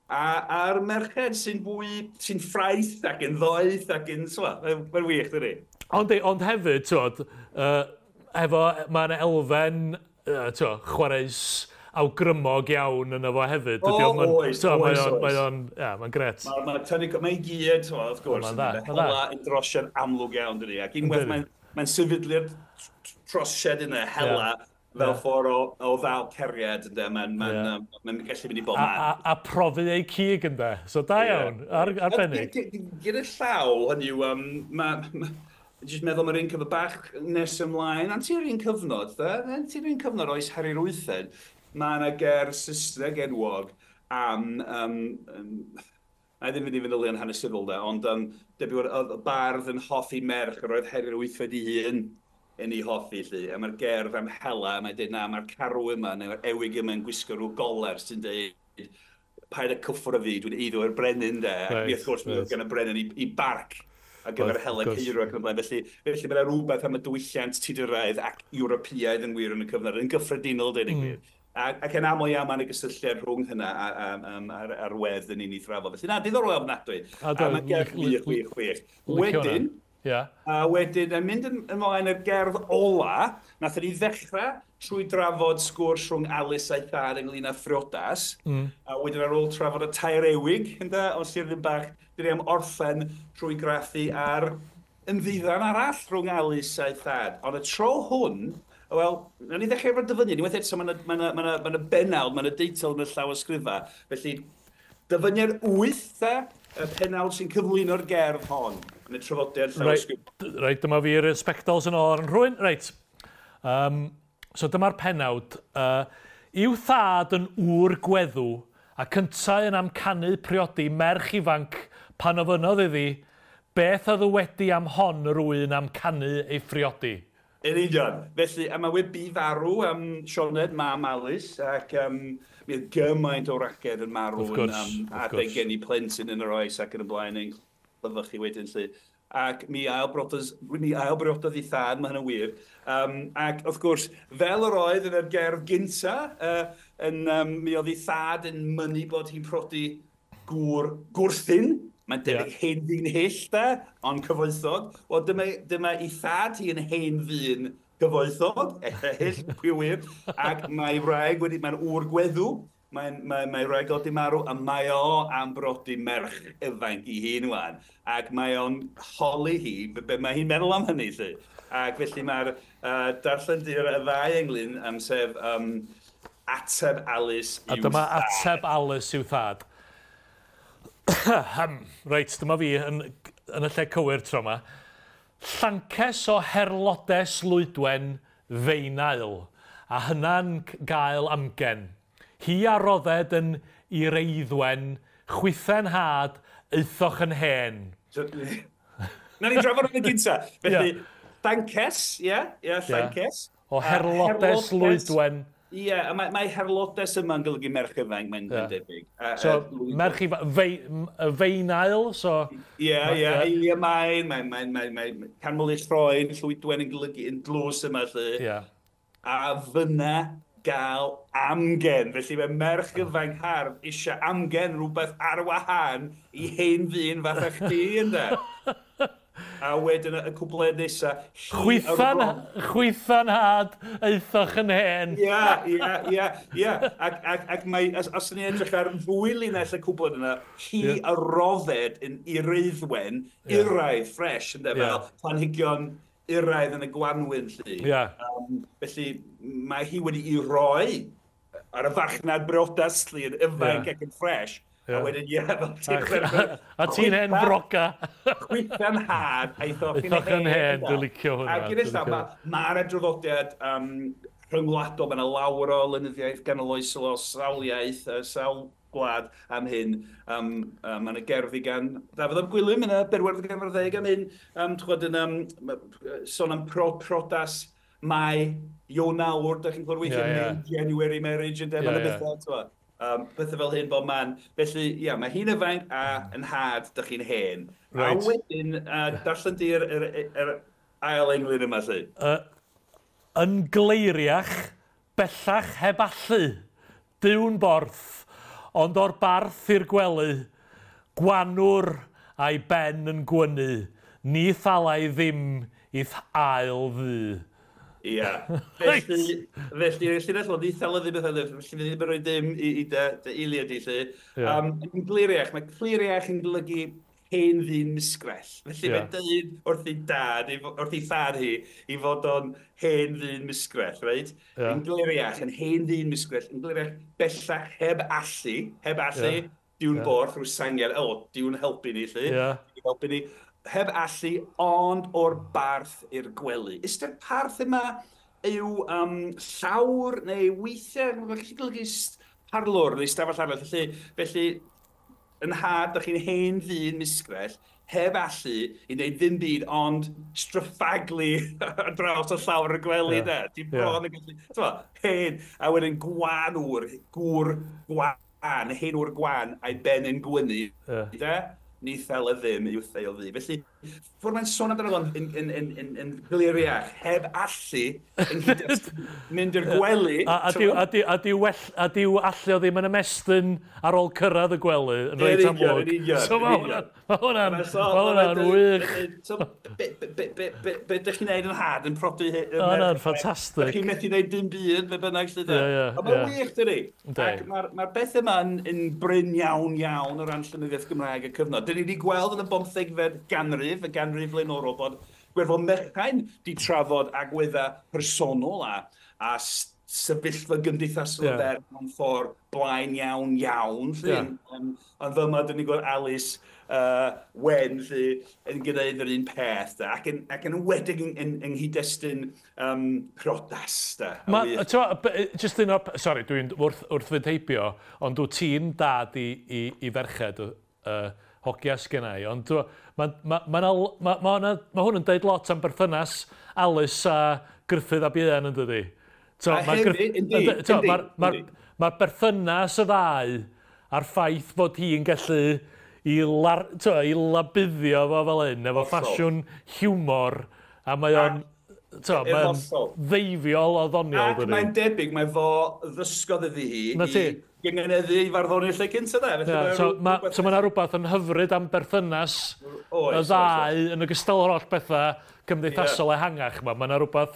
a, a'r merched sy'n fwy, sy'n ffraeth ac yn ddoeth ac yn, so, mae'n mae'n wych, dydi? Ond, ond hefyd, twod, uh, efo, mae yna elfen, uh, twod, chwareus awgrymog iawn yna fo hefyd. O, oes, oes, mae o'n, mae o'n, ia, mae'n gret. Mae'n ma tynnu, mae'n gyd, twod, wrth gwrs. Mae'n dda, mae'n dda. Hela yn drosiad amlwg iawn, dydi? Ac unwaith mae'n mae'n sefydlu'r trosiad yna, hela, yeah. fel yeah. ffordd o, o ddal ceriad, ynde, mae'n ma yeah. ma, ma gallu mynd i bob man. A, a, a profi ei cig, ynde. So da iawn, yeah. ar, arbennig. Gyda llaw, hynny yw, um, ma, ma, jyst meddwl mae'r un cyfnod bach nes ymlaen, ond ti'r un cyfnod, da? Ti'r un cyfnod oes Harri'r Wythfed, mae yna ger Saesneg enwog am, um, um, na i ddim fynd i fanylion hanesyddol de, ond um, debyg oedd y bardd yn hoffi merch yr oedd Harri'r Wythfed ei hun yn ei hoffi, lly. A mae'r gerdd am hela, mae'n dweud, na, mae'r carw yma, neu'r ewig yma yn gwisgo rhyw goler sy'n dweud, paid â cyffwrdd fi, dwi'n eiddo i'r brenin, de. Ac right, wrth gwrs, right. Oedd gan y brenin i, i barc ar gyfer hela ceirw ac yn y blaen. Felly, felly mae yna rhywbeth am y diwylliant Tuduraidd ac Ewropeaidd yn wir yn y cyfnod, yn gyffredinol, dweud y mm. gwir. Ac, ac yn aml iawn mae yna gysylltiad rhwng hynna a'r ar wedd yn un i thrafod. Felly na, diddorol ofnadwy. A, a mae gerdd wych, wych, wych. Wedyn, yeah. a wedyn, yn mynd ymlaen i'r gerdd ola, nath ni ddechrau trwy drafod sgwrs rhwng Alice a'i thad ynglyn â phriodas. Mm. A wedyn ar ôl trafod y tair ewig, ynde, o Sir Ddinbych, dyn ni am orffen trwy graffu ar ymddiddan arall rhwng Alice a'i thad. Ond y tro hwn, wel, nawn ni ddechrau efo'r dyfyniad. Unwaith eto, mae yna ma ma ma ma benawd, mae yna deitl yn y llawysgrifa. Felly, dyfyniad wyth, de, y penawd sy'n cyflwyno'r gerdd hon yn y traddodiad llawysgrif. Reit, reit, dyma fi'r sbectols yn ôl ar yn rhywun. Reit, um, so dyma'r penawd. Uh, i'w thad yn ŵr gweddw a cyntau yn amcanu priodi merch ifanc pan ofynnodd iddi, beth a ddywedi am hon yr wy'n amcanu ei phriodi? Yn union. Felly, a mae wedi bu farw um, Sioned, mam Alice, ac um, mi oedd gymaint o ragedd yn marw yn um, adeg geni plentyn yn yr oes ac yn y blaen yn clyfychu wedyn, lly. Ac mi ailbriododd, mi ailbriododd ei thad, mae hynny'n wir. Um, ac wrth gwrs, fel yr oedd yn yr gerdd gynta, uh, yn, um, mi oedd ei thad yn mynnu bod hi'n prodi gŵr gwrthun. Mae'n debyg yeah. hen ddyn hyll, de, ond cyfoethog. Wel, dyma, dyma ei thad hi yn hen ddyn gyfoethog, hyll, pwy wir, ac mae wraig wedi, mae'n ŵr gweddw, mae'n mae, mae wraig wedi marw, a mae o am brodi merch ifanc i hun wan. Ac mae o'n holi hi, be, be mae hi'n meddwl am hynny, lly. Ac felly mae'r uh, darllen di'r y ddau englyn, um, sef um, ateb Alice i'w thad. A dyma ateb Alice i'w thad. Reit, dyma fi yn, yn y lle cywir tro yma. Llances o herlodes Lwydwen feinael, a hynna'n gael amgen. Hi a rodded yn ireiddwen, chwithen had, eithoch yn hen. Na ni drafod yn y gynta. Felly, yeah. Llances, ie, yeah, yeah, llances. Yeah. O herlodes Lwydwen. Ie, yeah, a mae, mae herlodes yma'n golygu merch ifanc, mae'n yeah. debyg. A, so, a, merch ifanc, fei, feinail, so... Ie, yeah, ie, yeah, Eilia Main, mae'n mae, mae, mae, mae canmol i'r lloen, llwydwen yn golygu yn dlws yma, lle. Yeah. A fyna gael amgen. Felly mae merch ifanc hardd eisiau amgen rhywbeth ar wahân i hen ddyn fatha chdi, ynde? A wedyn y cwpled nesaf... Chwythan, chwythan had, eithoch yn hen. Ia, ia, ia, ia. Ac, ac, ac mae, os, os ni'n edrych ar fwy linell y cwpled yna, hi yeah. y rodded yn ireiddwen, yeah. iraidd, fresh, ynde, yeah. fel planhigion iraidd yn y gwanwyn, lly. Yeah. Um, felly, mae hi wedi i roi ar y farchnad briodas, lly, yn ifanc yeah. ac yn fresh. Yeah. A wedyn, ie, fel ti'n chwerthin. A ti'n hen broca. Chwytha'n had, a eithoch yn hen, dwi'n licio hwnna. A gyda llaw, mae'r adroddiad um, rhyngwladol, mae yna lawer o lenyddiaeth ganoloesol o sawl iaith, sawl gwlad am hyn. Um, uh, mae yna gerddi gan Dafydd ap Gwilym, yna berwerdd gan ddeg am hyn. Um, Chwad yn um, sôn am pro, prodas Mai, Ionawr, da chi'n clywed weithiau, yeah, yeah. January marriage, ynddo, yeah, yeah. Bethau, Um, pethau fel hyn bob man. Felly, ia, yeah, mae hi'n ifanc a yn had, dych chi'n hen. Right. A wedyn, uh, darllen di'r er, er, er ail englyn yma, lle. Uh, yn gleiriach, bellach heb allu, Duw'n borth, ond o'r barth i'r gwely, gwanwr a'i ben yn gwynu, ni thalai ddim i'th ail ddu. Ia. Felly, felly, llinell o ni thalai ddim i'th ail ddu, felly fi ddim yn rhoi dim i, i dy, dy eiliad i, lle. Yeah. Um, yn gliriach, mae cliriach yn golygu hen ddyn musgrell. Felly yeah. mae'n dweud wrth ei dad, wrth ei thad hi, i fod o'n hen ddyn musgrell, reit? Yeah. Yn gliriach, yn hen ddyn musgrell, yn gliriach bellach heb allu, heb allu, yeah. diwn yeah. borth rhyw sangiad, o, oh, diwn helpu ni, lle. Yeah. Diwn helpu ni. Heb allu, ond o'r barth i'r gwely. Ystyr parth yma yw um, llawr neu weithiau, mae'n gallu golygu parlwr neu stafell arall. Felly, felly yn had, dych chi'n hen ddyn musgrell, heb allu i wneud ddim byd ond stryffaglu ar draws y llawr y gwely, yeah. de. Ti'n bron yn gallu... T'mo, hen, a wedyn gwan wr, gŵr gwan, hen wr gwan, a'i ben yn gwynu, yeah. de? Ni thel y ddim i'w theil ddi. Felly, ffordd mae'n sôn amdano fo'n yn, yn, yn, yn, yn gliriach, heb allu yn nghyd-destun mynd i'r gwely. A, a, diw, a, diw, a, diw well, a diw allu o ddim yn ymestyn ar ôl cyrraedd y gwely yn reit amlwg. So mae hwnna'n ma hwnna'n ma hwnna'n wych. So, be, be, be, be, be, be ydych chi'n neud yn had yn prodi... Hwnna'n ffantastig. Ydych chi'n methu neud dim byd, be bynnag lle. Ie, ie, A mae'n wych, dydi? Ac mae'r ma beth yma'n yn brin iawn iawn o ran llenyddiaeth Gymraeg y cyfnod. Dyn ni wedi gweld yn y bomthegfed ganrif, y ganrif flaenorol, bod Gwirfodd Mechain di trafod agweddau personol a, a sefyllfa gymdeithasol yeah. fer mewn ffordd blaen iawn iawn. Lle. Yeah. Um, ond fel yma, dyn ni'n gweld Alice uh, Wen lle, yn gwneud yr un peth, da, ac yn, ac yn enwedig yng, yng, yng nghyd-destun um, priodas. Da, Ma, t'mo, just un o'r... Sorry, dwi'n wrth, wrth fynd heibio, ond dwi ti'n dad i, i, i ferched uh, hogia sgynna i, ond mae ma, ma, ma, ma, ma, ma hwn yn deud lot am berthynas Alice a Gruffydd ap Ieuan yn dydi. So, a hefyd, yndi, yndi. Mae'r ma, ma berthynas y ddau a'r ffaith fod hi'n gallu i, lar, to, i labuddio fo fel hyn, efo ffasiwn hiwmor, a mae o'n to, mae'n ddeifiol o ddoniol. Ac mae'n debyg, mae fo ddysgodd iddi hi. Na ti. Gyngeneddu i farddoni'r lle cynta, de. Yeah, so mae so ma 'na rhywbeth yn hyfryd am berthynas oes, y ddau oes, yn ogystal â'r holl bethau cymdeithasol yeah. ehangach yma. Mae 'na rhywbeth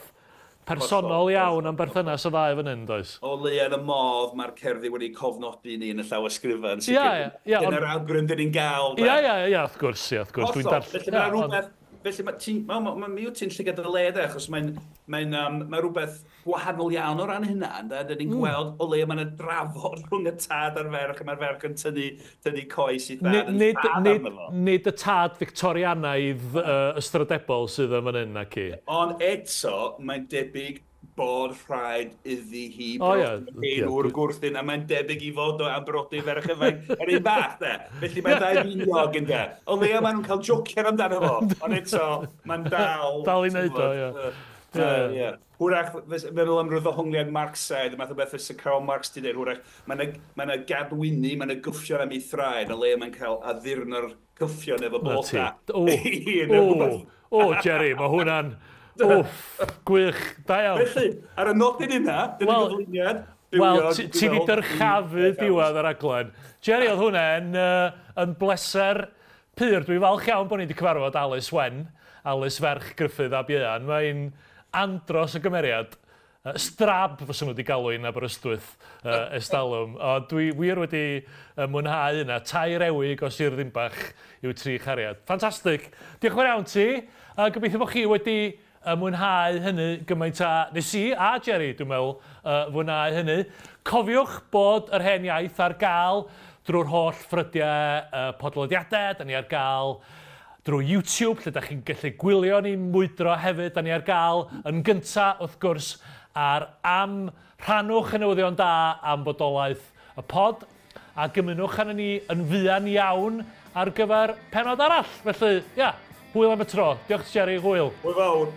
personol hollol, iawn am berthynas y ddau fan hyn, does? O leia yn y modd mae'r cerddi wedi cofnodi ni yn y llawysgrifau. Ie, ie. Ie, Dyna'r awgrym dyn ni'n gael. Ie, ie, ie, wrth gwrs, ie, wrth gwrs. Dwi'n darllen. Felly mae rhywbeth... Felly mae ti'n ma, ma, ma, mi wyt ti'n llygad y le, de, achos mae'n mae um, mae rhywbeth gwahanol iawn o ran hynna, ynde? Dyn ni'n mm. gweld o leia mae yna drafod rhwng y tad a'r ferch, a mae'r ferch yn tynnu, tynnu coes i thad, yn nid, thad nid, arno fo. Nid y tad Victorianaidd uh, ystrydebol sydd yn fan hyn, nac i. Ond eto, mae'n debyg bod rhaid iddi hi O, ie, brodi ie, hen wr dwi- gwrthun, a mae'n debyg i fod o am brodi ferch ifanc yr un fath, de. Felly mae'n ddau finiog, ynde. O leia maen nhw'n cael jocian amdano fo, ond eto, mae'n dal... Dal i wneud o, ie. Ie, ie. Hwrach, meddwl am ryw ddehongliad Marxaidd, y math o beth fysa Karl Marx di dweud, hwrach, mae yna ma 'na gadwyni, mae yna gyffion am ei thraed, a le mae'n cael addurno'r cyffion efo Na ti. bloda. O, o, o, Jerry, mae hwnna'n... Wff, gwych, da iawn. Felly, ar y nodyn yna, dyna Wel, gyflwyniad. Wel, bywiog, ti dwi'n ti 'di meddwl, dyrchafu i- diwedd yr raglen. Jerry, oedd hwnna'n uh, yn bleser pur. Dwi'n falch iawn bod ni wedi cyfarfod Alice Wen, Alice ferch Gruffydd ab Ieuan. Mae'n andros o gymeriad. Uh, strab fysa nhw wedi galw hi'n Aberystwyth uh, estalwm. O, dwi wir wedi uh, mwynhau yna. Tair ewig o Sir Ddinbach i'w tri chariad. Ffantastig. Diolch yn fawr iawn ti. Uh, gobeithio bod chi wedi uh, mwynhau hynny gymaint a nes i a Jerry, dwi'n meddwl, uh, fwynhau hynny. Cofiwch bod yr Hen Iaith ar gael drwy'r holl ffrydiau uh, podlediadau. Da ni ar gael drwy YouTube, lle da chi'n gallu gwylio ni'n mwydro hefyd. Da ni ar gael yn gynta, wrth gwrs, ar Am. Rhannwch y newyddion da am bodolaeth y pod, a gymunwch arno ni yn fuan iawn ar gyfer penod arall. Felly, ia, hwyl am y tro. Diolch, Jerry, hwyl. Hwyl fawr.